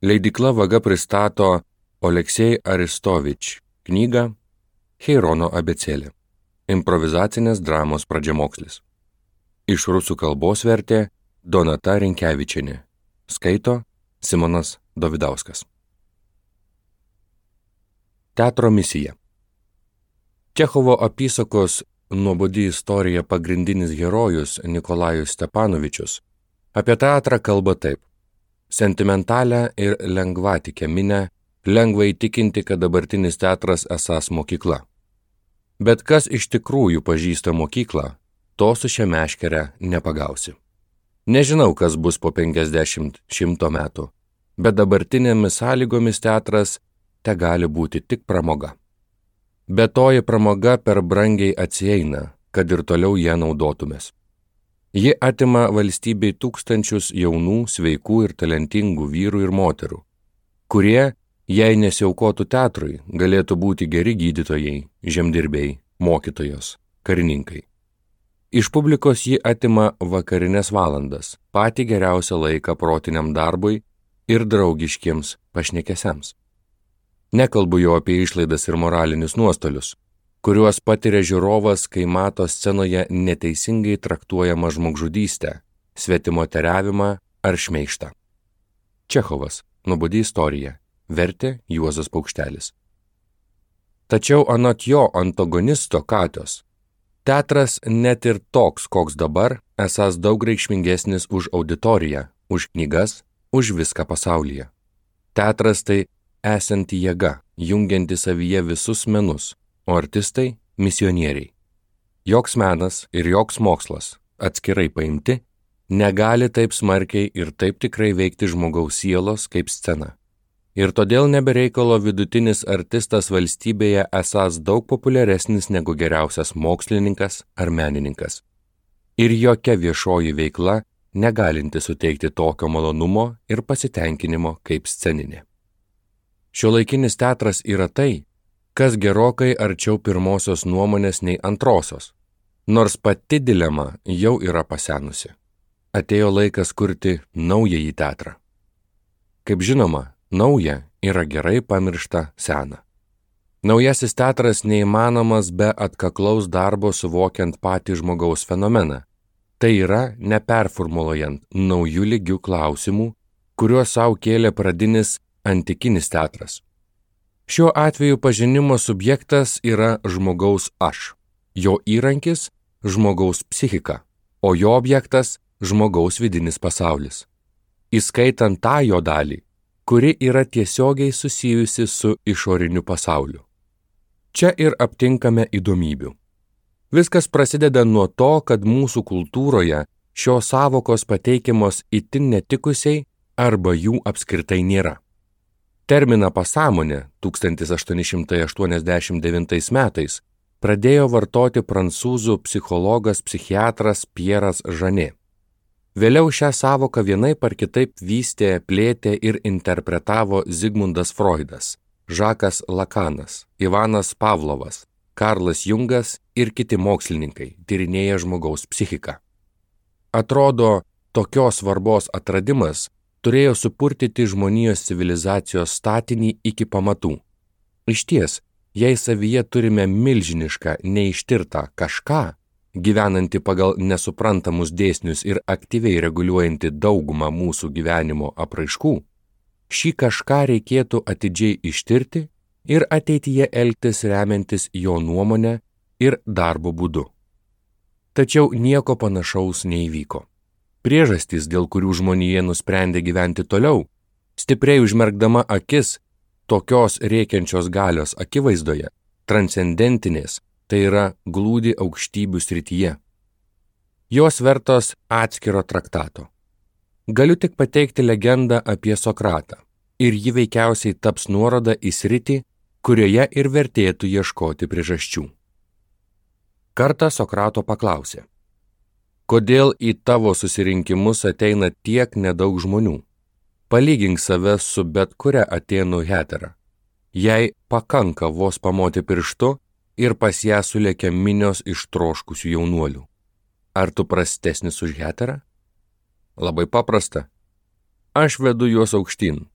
Leidykla Vaga pristato Oleksej Aristovič knygą Heirono abėcėlė. Improvizacinės dramos pradžiamokslis. Iš rusų kalbos vertė Donata Rinkevičienė. Skaito Simonas Dovidauskas. Teatro misija. Čechovo apysakos Nuobodi istorija pagrindinis herojus Nikolajus Stepanovičius apie teatrą kalba taip. Sentimentalią ir lengvatikę minią lengva įtikinti, kad dabartinis teatras esąs mokykla. Bet kas iš tikrųjų pažįsta mokyklą, to su šia meškere nepagausi. Nežinau, kas bus po 50-100 metų, bet dabartinėmis sąlygomis teatras te gali būti tik pramoga. Bet toji pramoga per brangiai atsieina, kad ir toliau ją naudotumės. Ji atima valstybei tūkstančius jaunų, sveikų ir talentingų vyrų ir moterų, kurie, jei nesiaukotų teatrui, galėtų būti geri gydytojai, žemdirbiai, mokytojos, karininkai. Iš publikos ji atima vakarinės valandas, patį geriausią laiką protiniam darbui ir draugiškiems pašnekesiams. Nekalbu jau apie išlaidas ir moralinius nuostolius, kuriuos patiria žiūrovas, kai mato scenoje neteisingai traktuojamą žmogžudystę, svetimoteriavimą ar šmeižtą. Čechovas, Nuobodi istorija, vertė Juozas Paukštelis. Tačiau anot jo antagonisto Katios, teatras net ir toks, koks dabar, esąs daug reikšmingesnis už auditoriją, už knygas, už viską pasaulyje. Teatras tai esanti jėga, jungianti savyje visus menus, o artistai – misionieriai. Joks menas ir joks mokslas, atskirai paimti, negali taip smarkiai ir taip tikrai veikti žmogaus sielos kaip scena. Ir todėl nebereikalo vidutinis artistas valstybėje esąs daug populiaresnis negu geriausias mokslininkas ar menininkas. Ir jokia viešoji veikla negalinti suteikti tokio malonumo ir pasitenkinimo kaip sceninė. Šiuolaikinis teatras yra tai, kas gerokai arčiau pirmosios nuomonės nei antrosios, nors pati dilema jau yra pasenusi. Atėjo laikas kurti naująjį teatrą. Kaip žinoma, nauja yra gerai pamiršta sena. Naujasis teatras neįmanomas be atkaklaus darbo suvokiant patį žmogaus fenomeną. Tai yra neperformuluojant naujų lygių klausimų, kuriuos savo kėlė pradinis antikinis teatras. Šiuo atveju pažinimo subjektas yra žmogaus aš, jo įrankis žmogaus psichika, o jo objektas žmogaus vidinis pasaulis. Įskaitant tą jo dalį, kuri yra tiesiogiai susijusi su išoriniu pasauliu. Čia ir aptinkame įdomybių. Viskas prasideda nuo to, kad mūsų kultūroje šios sąvokos pateikiamos itin netikusiai arba jų apskritai nėra. Terminą pasąmonė 1889 metais pradėjo vartoti prancūzų psichologas psichiatras Pieras Žanė. Vėliau šią sąvoką vienaip ar kitaip vystė, plėtė ir interpretavo Zigmundas Freudas, Žakas Lakanas, Ivanas Pavlovas, Karlas Jungas ir kiti mokslininkai, tyrinėję žmogaus psichiką. Atrodo, tokios svarbos atradimas turėjo supurtyti žmonijos civilizacijos statinį iki pamatų. Išties, jei savyje turime milžinišką, neištirtą kažką, gyvenantį pagal nesuprantamus dėsnius ir aktyviai reguliuojantį daugumą mūsų gyvenimo apraiškų, šį kažką reikėtų atidžiai ištirti ir ateityje elgtis remiantis jo nuomonę ir darbo būdu. Tačiau nieko panašaus neįvyko. Priežastys, dėl kurių žmonija nusprendė gyventi toliau, stipriai užmerkdama akis tokios rėkiančios galios akivaizdoje, transcendentinės, tai yra glūdi aukštybių srityje. Jos vertos atskiro traktato. Galiu tik pateikti legendą apie Sokratą, ir ji veikiausiai taps nuoroda į sritį, kurioje ir vertėtų ieškoti priežasčių. Kartą Sokrato paklausė: kodėl į tavo susirinkimus ateina tiek nedaug žmonių? Palygink save su bet kuria Atėnų hetera. Jei pakanka vos pamoti pirštu ir pas ją sulėkia minios ištroškusių jaunuolių. Ar tu prastesnis už heterą? Labai paprasta. Aš vedu juos aukštyn,